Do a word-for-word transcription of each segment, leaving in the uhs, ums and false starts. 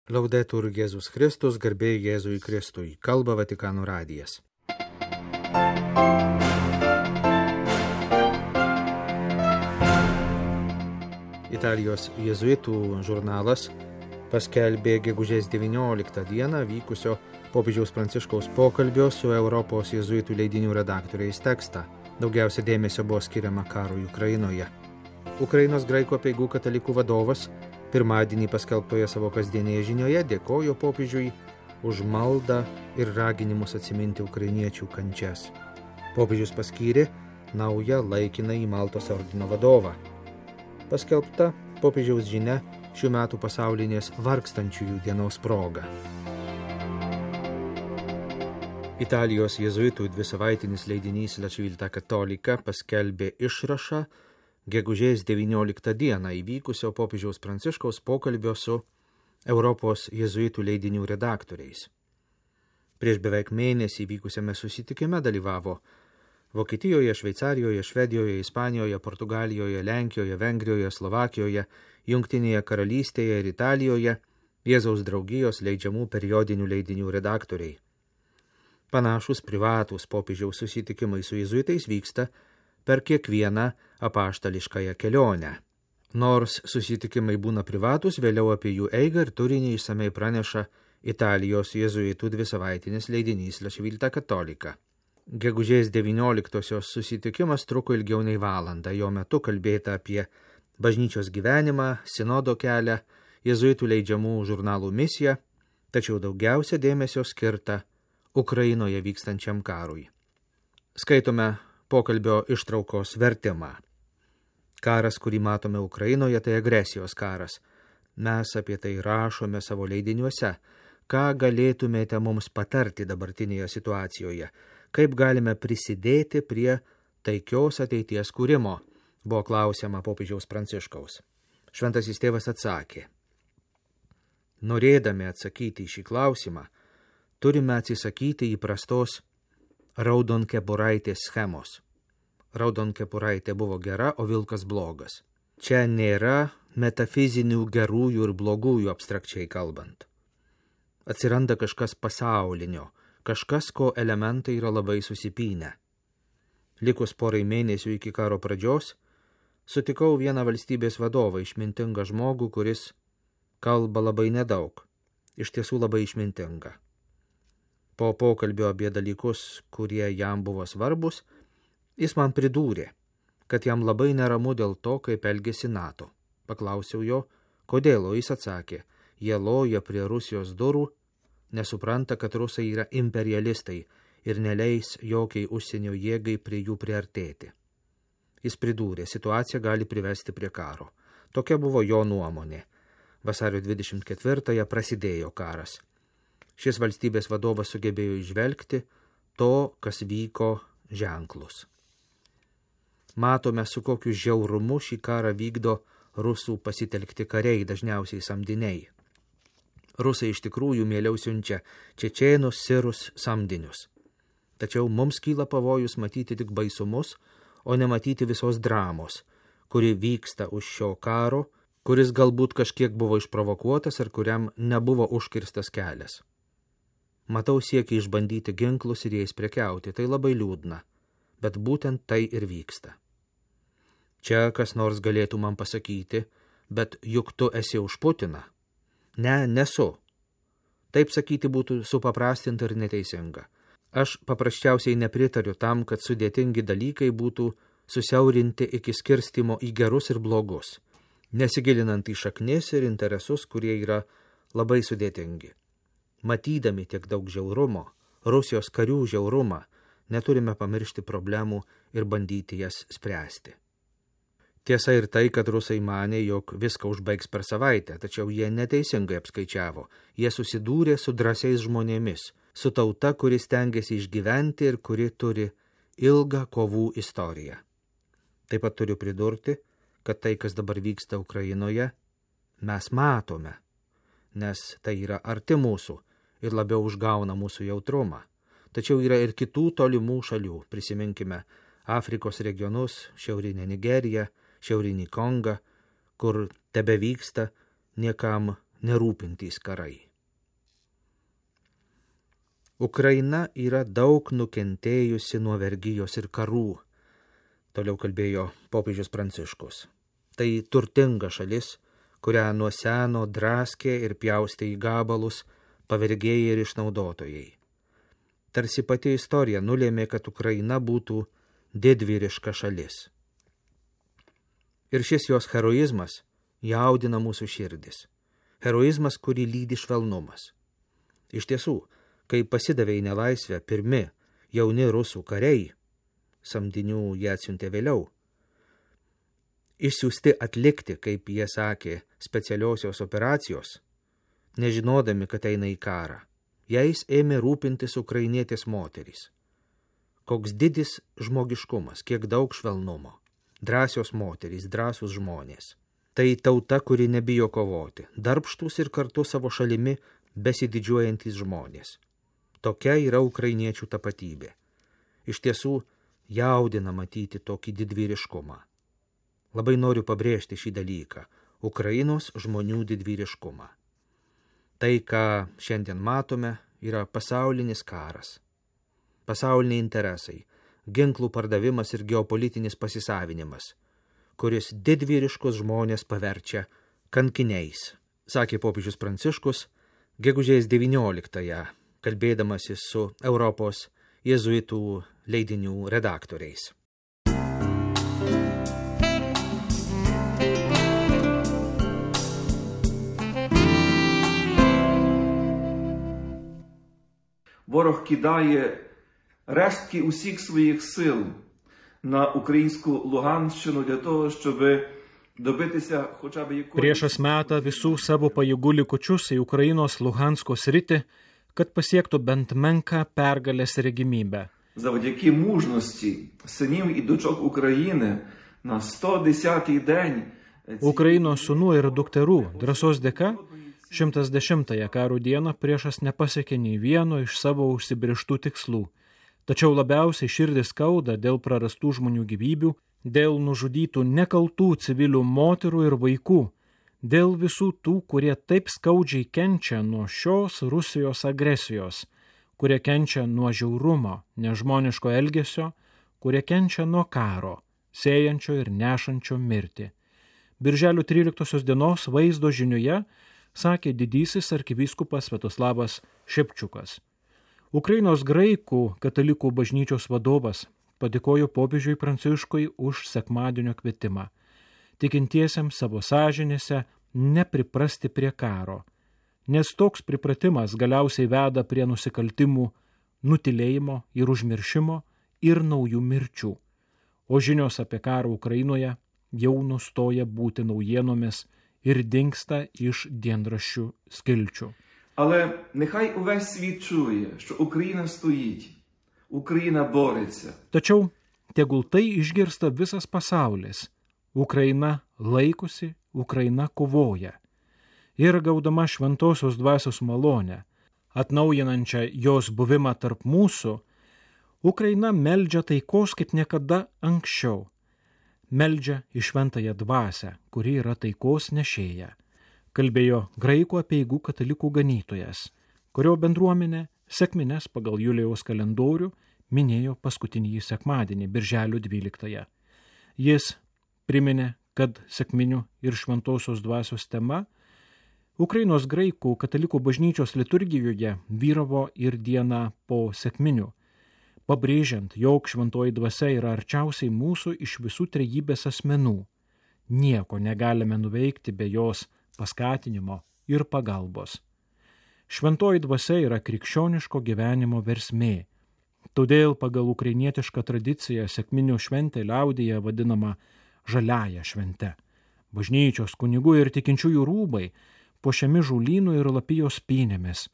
Laudetur Jėzus Kristus, garbė Jėzui Kristui, kalba Vatikano radijas. Italijos jėzuitų žurnalas paskelbė gegužės devynioliktą dieną vykusio popiežiaus Pranciškaus pokalbio su Europos jėzuitų leidinių redaktoriais tekstą. Daugiausia dėmesio buvo skiriama karui Ukrainoje. Ukrainos graikų apeigų katalikų vadovas pirmadienį paskelbtoje savo kasdienėje žinioje dėkojo popiežiui už maldą ir raginimus atsiminti ukrainiečių kančias. Popiežius paskyrė naują laikinąjį Maltos ordino vadovą. Paskelbta popiežiaus žinia šių metų pasaulinės vargstančiųjų dienos proga. Italijos jėzuitų dvisavaitinis leidinys La Civiltà Cattolica paskelbė išrašą gegužės devynioliktą dieną įvykusio popiežiaus Pranciškaus pokalbio su Europos jėzuitų leidinių redaktoriais. Prieš beveik mėnesį vykusiame susitikime dalyvavo Vokietijoje, Šveicarijoje, Švedijoje, Ispanijoje, Portugalijoje, Lenkijoje, Vengrijoje, Slovakijoje, Jungtinėje karalystėje ir Italijoje Jėzaus draugijos leidžiamų periodinių leidinių redaktoriai. Panašus privatūs popiežiaus susitikimai su jėzuitais vyksta per kiekvieną apaštališkąją kelionę. Nors susitikimai būna privatus, vėliau apie jų eigą ir turinį išsamei praneša Italijos jėzuitų dvisavaitinis leidinys La Civiltà Cattolica. Gegužės devynioliktosios susitikimas truko ilgiau nei valandą. Jo metu kalbėta apie bažnyčios gyvenimą, sinodo kelią, jėzuitų leidžiamų žurnalų misiją, tačiau daugiausia dėmesio skirta Ukrainoje vykstančiam karui. Skaitome pokalbio ištraukos vertimą. Karas, kurį matome Ukrainoje, tai agresijos karas. Mes apie tai rašome savo leidiniuose. Ką galėtumėte mums patarti dabartinėje situacijoje? Kaip galime prisidėti prie taikios ateities kūrimo? Buvo klausiama popiežiaus Pranciškaus. Šventasis tėvas atsakė. Norėdami atsakyti į šį klausimą, turime atsisakyti įprastos raudonkepuraitės schemos. Raudonkepuraitė buvo gera, o vilkas blogas. Čia nėra metafizinių gerųjų ir blogųjų abstrakčiai kalbant. Atsiranda kažkas pasaulinio, kažkas, ko elementai yra labai susipynę. Likus porai mėnesių iki karo pradžios, sutikau vieną valstybės vadovą, išmintingą žmogų, kuris kalba labai nedaug, iš tiesų labai išmintinga. Po pokalbio apie dalykus, kurie jam buvo svarbus, jis man pridūrė, kad jam labai neramu dėl to, kaip elgėsi NATO. Paklausiau jo, kodėl, o jis atsakė, jie loja prie Rusijos durų, nesupranta, kad rusai yra imperialistai ir neleis jokiai užsienio jėgai prie jų priartėti. Jis pridūrė, situacija gali privesti prie karo. Tokia buvo jo nuomonė. Vasario dvidešimt ketvirtąją prasidėjo karas. Šis valstybės vadovas sugebėjo įžvelgti to, kas vyko, ženklus. Matome, su kokiu žiaurumu šį karą vykdo rusų pasitelkti kariai, dažniausiai samdiniai. Rusai iš tikrųjų mieliau siunčia čečėnus, sirus, samdinius. Tačiau mums kyla pavojus matyti tik baisumus, o nematyti visos dramos, kuri vyksta už šio karo, kuris galbūt kažkiek buvo išprovokuotas ir kuriam nebuvo užkirstas kelias. Matau siekį išbandyti ginklus ir jais prekiauti, tai labai liūdna, bet būtent tai ir vyksta. Čia kas nors galėtų man pasakyti, bet juk tu esi už Putiną. Ne, nesu. Taip sakyti būtų supaprastinta ir neteisinga. Aš paprasčiausiai nepritariu tam, kad sudėtingi dalykai būtų susiaurinti iki skirstimo į gerus ir blogus, nesigilinant į šaknis ir interesus, kurie yra labai sudėtingi. Matydami tiek daug žiaurumo, Rusijos karių žiaurumą, neturime pamiršti problemų ir bandyti jas spręsti. Tiesa ir tai, kad rusai manė, jog viską užbaigs per savaitę, tačiau jie neteisingai apskaičiavo. Jie susidūrė su drąsiais žmonėmis, su tauta, kuri stengiasi išgyventi ir kuri turi ilgą kovų istoriją. Taip pat turiu pridurti, kad tai, kas dabar vyksta Ukrainoje, mes matome, nes tai yra arti mūsų ir labiau užgauna mūsų jautrumą. Tačiau yra ir kitų tolimų šalių, prisiminkime Afrikos regionus, šiaurinę Nigeriją, šiaurinį Kongą, kur tebe vyksta niekam nerūpintys karai. Ukraina yra daug nukentėjusi nuo vergijos ir karų, toliau kalbėjo popiežius Pranciškus. Tai turtinga šalis, kurią nuo seno draskė ir pjaustė į gabalus pavergėjai ir išnaudotojai. Tarsi pati istorija nulėmė, kad Ukraina būtų didvyriška šalis. Ir šis jos heroizmas jaudina mūsų širdis. Heroizmas, kurį lydi švelnumas. Iš tiesų, kai pasidavė į nelaisvę pirmi jauni rusų kariai, samdinių jie atsiuntė vėliau, išsiųsti atlikti, kaip jie sakė, specialiosios operacijos, nežinodami, kad eina į karą, jais ėmė rūpintis ukrainietės moterys. Koks didis žmogiškumas, kiek daug švelnumo. Drąsios moterys, drąsūs žmonės. Tai tauta, kuri nebijo kovoti, darbštūs ir kartu savo šalimi besididžiuojantys žmonės. Tokia yra ukrainiečių tapatybė. Iš tiesų, jaudina matyti tokį didvyriškumą. Labai noriu pabrėžti šį dalyką – Ukrainos žmonių didvyriškumą. Tai, ką šiandien matome, yra pasaulinis karas. Pasauliniai interesai, ginklų pardavimas ir geopolitinis pasisavinimas, kuris didvyriškus žmonės paverčia kankiniais, sakė popiežius Pranciškus gegužės devynioliktąją, kalbėdamasis su Europos jėzuitų leidinių redaktoriais. Ворог кидає рештки усіх своїх сил на українську Луганщину для того, щоб добитися хоча б якоїсь... Priešas meta visų savo pajėgų likučius į Ukrainos Luhansko sritį, kad pasiektų bent menką pergalės regimybę. Завдяки мужності синів і дочок України на сто десятий день... Ukrainos sūnų ir dukterų drąsos dėka šimtas dešimtąją karo dieną priešas nepasiekė nei vieno iš savo užsibrėžtų tikslų. Tačiau labiausiai širdis skauda dėl prarastų žmonių gyvybių, dėl nužudytų nekaltų civilių moterų ir vaikų, dėl visų tų, kurie taip skaudžiai kenčia nuo šios Rusijos agresijos, kurie kenčia nuo žiaurumo, nežmoniško elgesio, kurie kenčia nuo karo, sėjančio ir nešančio mirtį. Birželio tryliktosios dienos vaizdo žinioje sakė didysis arkivyskupas Sviatoslavas Šepčiukas. Ukrainos graikų katalikų bažnyčios vadovas padėkojo popiežiui Pranciškui už sekmadienio kvietimą. Tikintiesiems savo sąžinėse nepriprasti prie karo, nes toks pripratimas galiausiai veda prie nusikaltimų, nutilėjimo ir užmiršimo ir naujų mirčių. O žinios apie karą Ukrainoje jau nustoja būti naujienomis ir dingsta iš dienraščių skilčių. Але нехай увесь світ чує, що Україна стоїть, Україна бореться. Tačiau tegul tai išgirsta visas pasaulis. Ukraina laikosi, Ukraina kovoja. Ir gaudama šventosios dvasios malonę, atnaujinančią jos buvimą tarp mūsų, Ukraina meldžia taikos kaip niekada anksčiau. Meldžia į šventąją dvasią, kuri yra taikos nešėja, kalbėjo graikų apeigų katalikų ganytojas, kurio bendruomenė sekmines pagal Julijaus kalendorių minėjo paskutinį sekmadienį, birželio dvyliktąją. Jis priminė, kad sekminių ir šventosios dvasios tema Ukrainos graikų katalikų bažnyčios liturgijoje vyravo ir dieną po sekminių, pabrėžiant, jog šventoji dvasia yra arčiausiai mūsų iš visų trejybės asmenų. Nieko negalime nuveikti be jos paskatinimo ir pagalbos. Šventoji dvasia yra krikščioniško gyvenimo versmė. Todėl pagal ukrainietišką tradiciją sekminių šventė liaudyje vadinama žaliąja švente. Bažnyčios, kunigų ir tikinčiųjų rūbai puošiami žolynų ir lapijos pynėmis,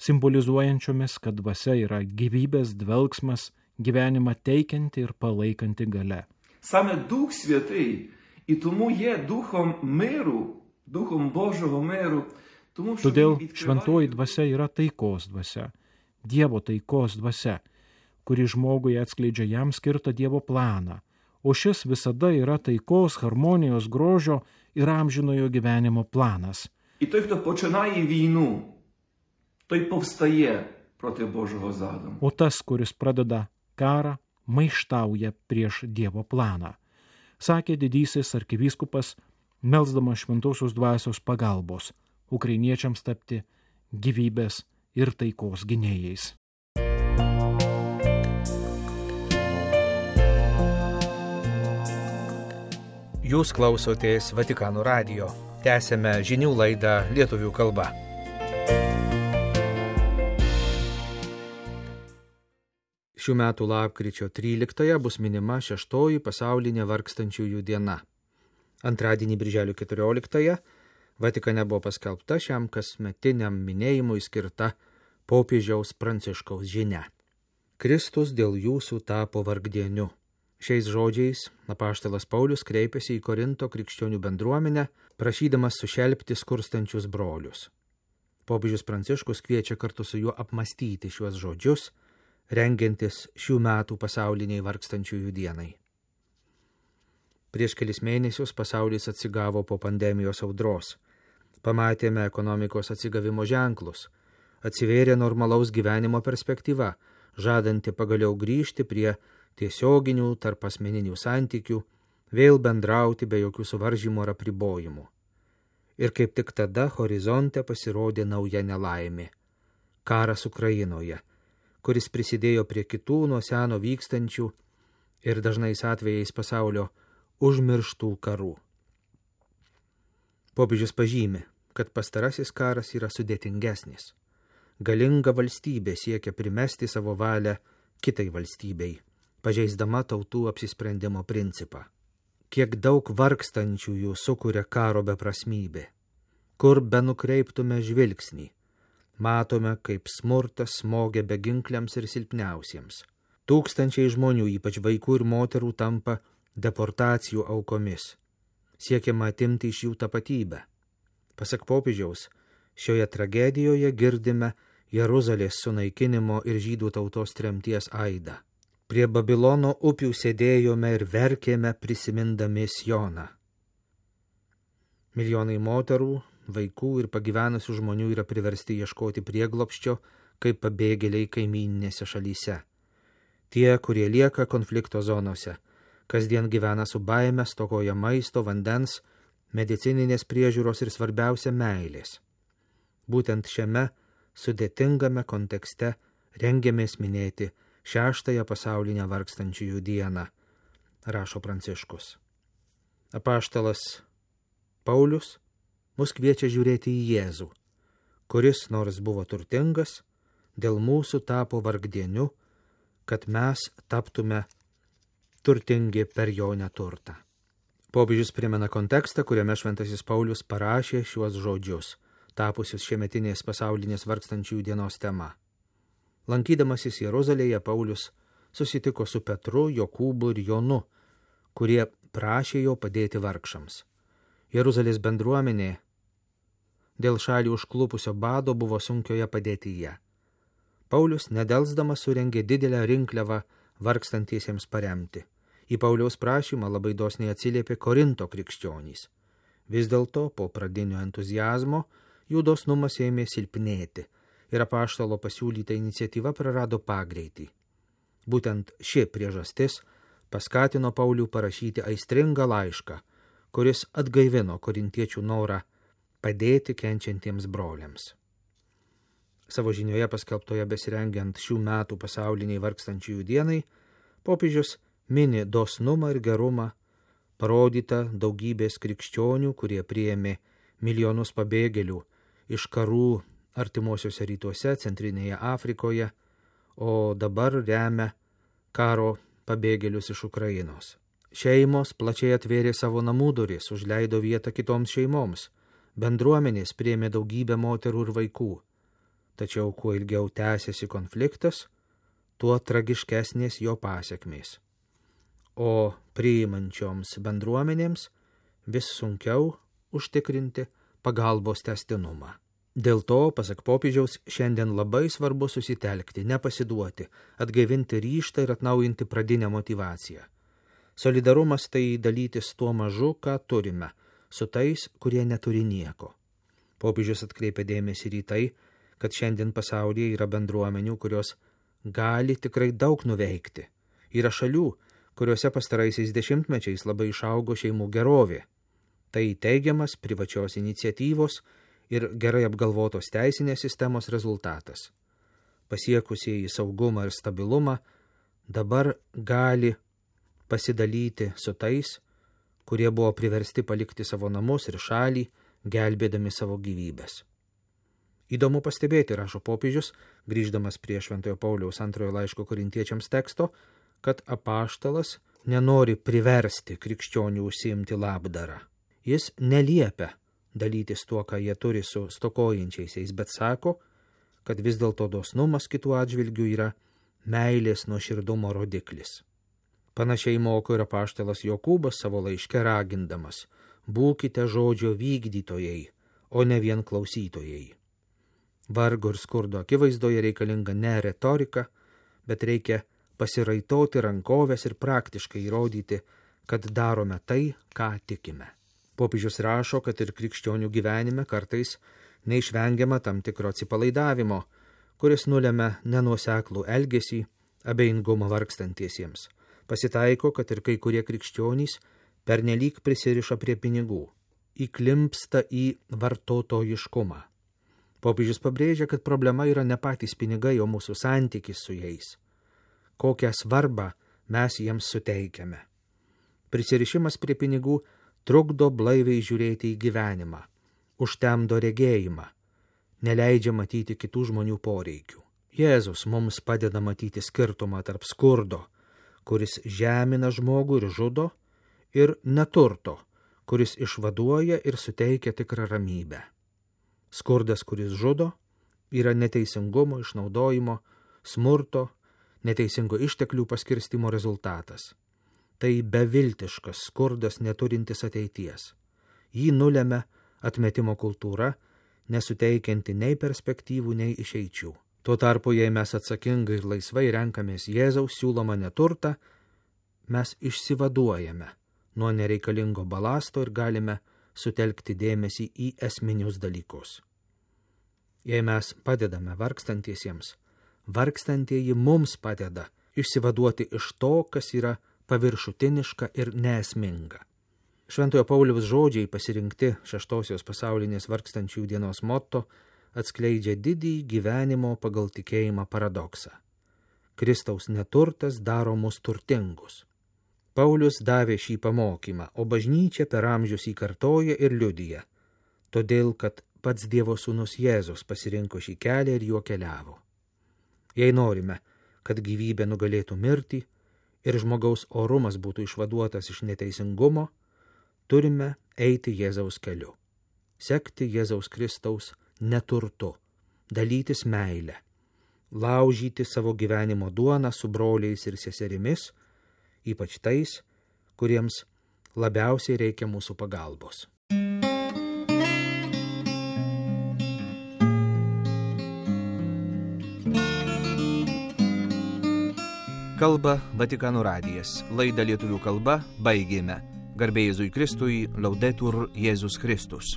simbolizuojančiomis, kad dvasia yra gyvybės dvelgsmas, gyvenimą teikianti ir palaikanti galia. Саме Дух Святий і тому є духом миру, духом Божого миру, тому що Todėl šventoji dvasia yra taikos dvasia, Dievo taikos dvasia, kuri žmogui atskleidžia jam skirtą Dievo planą, o šis visada yra taikos, harmonijos, grožio ir amžinojo gyvenimo planas. І той, хто починає війну, той повстає проти Божого задуму. O tas, kuris pradeda karą, maištauja prieš Dievo planą, sakė didysis arkivyskupas, melsdamas šventosios dvasios pagalbos ukrainiečiams tapti gyvybės ir taikos gynėjais. Jūs klausotės Vatikano radijo. Tęsėme žinių laidą lietuvių kalba. Šių metų lapkričio tryliktąją bus minima šeštoji pasaulinė vargstančiųjų diena. Antradienį birželio keturioliktąją Vatikane buvo paskelbta šiam kasmetiniam minėjimui skirta popiežiaus Pranciškaus žinia. Kristus dėl jūsų tapo vargdieniu. Šiais žodžiais apaštalas Paulius kreipėsi į Korinto krikščionių bendruomenę, prašydamas sušelpti skurstančius brolius. Popiežius Pranciškus kviečia kartu su juo apmastyti šiuos žodžius, rengiantis šių metų pasauliniai vargstančiųjų dienai. Prieš kelis mėnesius pasaulis atsigavo po pandemijos audros. Pamatėme ekonomikos atsigavimo ženklus. Atsivėrė normalaus gyvenimo perspektyva, žadanti pagaliau grįžti prie tiesioginių tarp asmeninių santykių, vėl bendrauti be jokių suvaržymų ar apribojimų. Ir kaip tik tada horizonte pasirodė nauja nelaimė – karas Ukrainoje, kuris prisidėjo prie kitų nuo seno vykstančių ir dažnais atvejais pasaulio užmirštų karų. Popiežius pažymi, kad pastarasis karas yra sudėtingesnis. Galinga valstybė siekia primesti savo valią kitai valstybei, pažeisdama tautų apsisprendimo principą. Kiek daug vargstančiųjų sukuria karo beprasmybė. Kur benukreiptume žvilgsnį, matome, kaip smurtas smogia beginkliams ir silpniausiems. Tūkstančiai žmonių, ypač vaikų ir moterų, tampa deportacijų aukomis. Siekiama atimti iš jų tapatybę. Pasak popiežiaus, šioje tragedijoje girdime Jeruzalės sunaikinimo ir žydų tautos tremties aidą. Prie Babilono upių sėdėjome ir verkėme prisimindami Sioną. Milijonai moterų, vaikų ir pagyvenusių žmonių yra priversti ieškoti prieglobsčio kaip pabėgėliai kaimyninėse šalyse. Tie, kurie lieka konflikto zonose, kasdien gyvena su baime, stokoja maisto, vandens, medicininės priežiūros ir svarbiausia meilės. Būtent šiame sudėtingame kontekste rengiamės minėti šeštąją pasaulinę vargstančiųjų dieną, rašo Pranciškus. Apaštalas Paulius mus kviečia žiūrėti į Jėzų, kuris, nors buvo turtingas, dėl mūsų tapo vargdieniu, kad mes taptume turtingi per jo neturtą. Popiežius primena kontekstą, kuriame šventasis Paulius parašė šiuos žodžius, tapusius šiemetinės pasaulinės vargstančiųjų dienos tema. Lankydamasis Jeruzalėje, Paulius susitiko su Petru, Jokūbu ir Jonu, kurie prašė jo padėti vargšams. Jeruzalės bendruomenė dėl šalį užklupusio bado buvo sunkioje padėtyje. Paulius nedelsdamas surengė didelę rinkliavą vargstantiesiems paremti. Į Pauliaus prašymą labai dosniai atsiliepė Korinto krikščionys. Vis dėlto, po pradinio entuziazmo, jų dosnumas ėmė silpnėti ir apaštalo pasiūlyta iniciatyva prarado pagreitį. Būtent ši priežastis paskatino Paulių parašyti aistringą laišką, kuris atgaivino korintiečių norą padėti kenčiantiems broliams. Savo žinioje paskelbtoje besirengiant šių metų pasauliniai vargstančiųjų dienai, popiežius mini dosnumą ir gerumą, parodytą daugybės krikščionių, kurie priėmė milijonus pabėgėlių iš karų artimuosiuose rytuose, Centrinėje Afrikoje, o dabar remia karo pabėgėlius iš Ukrainos. Šeimos plačiai atvėrė savo namų duris, užleido vietą kitoms šeimoms, bendruomenės priėmė daugybę moterų ir vaikų. Tačiau kuo ilgiau tęsiasi konfliktas, tuo tragiškesnės jo pasekmės. O priimančioms bendruomenėms vis sunkiau užtikrinti pagalbos tęstinumą. Dėl to, pasak popiežiaus, šiandien labai svarbu susitelkti, nepasiduoti, atgaivinti ryžtą ir atnaujinti pradinę motyvaciją. Solidarumas tai dalytis tuo mažu, ką turime, su tais, kurie neturi nieko. Popiežius atkreipia dėmesį ir į tai, kad šiandien pasaulyje yra bendruomenių, kurios gali tikrai daug nuveikti. Yra šalių, kuriuose pastaraisiais dešimtmečiais labai išaugo šeimų gerovė. Tai teigiamas privačios iniciatyvos ir gerai apgalvotos teisinės sistemos rezultatas. Pasiekusieji saugumą ir stabilumą dabar gali pasidalyti su tais, kurie buvo priversti palikti savo namus ir šalį, gelbėdami savo gyvybės. Įdomu pastebėti, rašo popiežius, grįždamas prie Šventojo Pauliaus antrojo laiško korintiečiams teksto, kad apaštalas nenori priversti krikščionių užsiimti labdarą. Jis neliepia dalytis tuo, ką jie turi su stokojančiaisiais, bet sako, kad vis dėlto dosnumas kitų atžvilgių yra meilės nuoširdumo rodiklis. Panašiai moko ir apaštalas Jokūbas savo laiške ragindamas: būkite žodžio vykdytojai, o ne vien klausytojai. Vargo ir skurdo akivaizdoje reikalinga ne retorika, bet reikia pasiraitoti rankovės ir praktiškai įrodyti, kad darome tai, ką tikime. Popiežius rašo, kad ir krikščionių gyvenime kartais neišvengiama tam tikro atsipalaidavimo, kuris nulemia nenuoseklų elgesį, abejingumą vargstantiesiems. Pasitaiko, kad ir kai kurie krikščionys pernelyg prisiriša prie pinigų, įklimpsta į vartotojiškumą. Popiežius pabrėžia, kad problema yra ne patys pinigai, o mūsų santykis su jais. Kokią svarbą mes jiems suteikiame. Prisirišimas prie pinigų trukdo blaiviai žiūrėti į gyvenimą, užtemdo regėjimą, neleidžia matyti kitų žmonių poreikių. Jėzus mums padeda matyti skirtumą tarp skurdo, kuris žemina žmogų ir žudo, ir neturto, kuris išvaduoja ir suteikia tikrą ramybę. Skurdas, kuris žudo, yra neteisingumo, išnaudojimo, smurto, neteisingo išteklių paskirstimo rezultatas. Tai beviltiškas skurdas neturintis ateities. Jį nulemia atmetimo kultūra, nesuteikianti nei perspektyvų, nei išeičių. Tuo tarpu, jei mes atsakingai ir laisvai renkamės Jėzaus siūlomą neturtą, mes išsivaduojame nuo nereikalingo balasto ir galime sutelkti dėmesį į esminius dalykus. Jei mes padedame vargstantiesiems, vargstantieji mums padeda išsivaduoti iš to, kas yra paviršutiniška ir neesminga. Šventojo Pauliaus žodžiai pasirinkti šeštosios pasaulinės vargstančių dienos motto atskleidžia didįjį gyvenimo pagal tikėjimą paradoksą. Kristaus neturtas daro mus turtingus. Paulius davė šį pamokymą, o bažnyčia per amžius jį kartoja ir liudija, todėl kad pats Dievo sūnus Jėzus pasirinko šį kelią ir juo keliavo. Jei norime, kad gyvybė nugalėtų mirtį ir žmogaus orumas būtų išvaduotas iš neteisingumo, turime eiti Jėzaus keliu, sekti Jėzaus Kristaus neturtu, dalytis meilę, laužyti savo gyvenimo duoną su broliais ir seserimis, ypač tais, kuriems labiausiai reikia mūsų pagalbos. Kalba Vatikano radijas. Laidą lietuvių kalba baigėme. Garbė Jėzui Kristui, Laudetur Jėzus Kristus.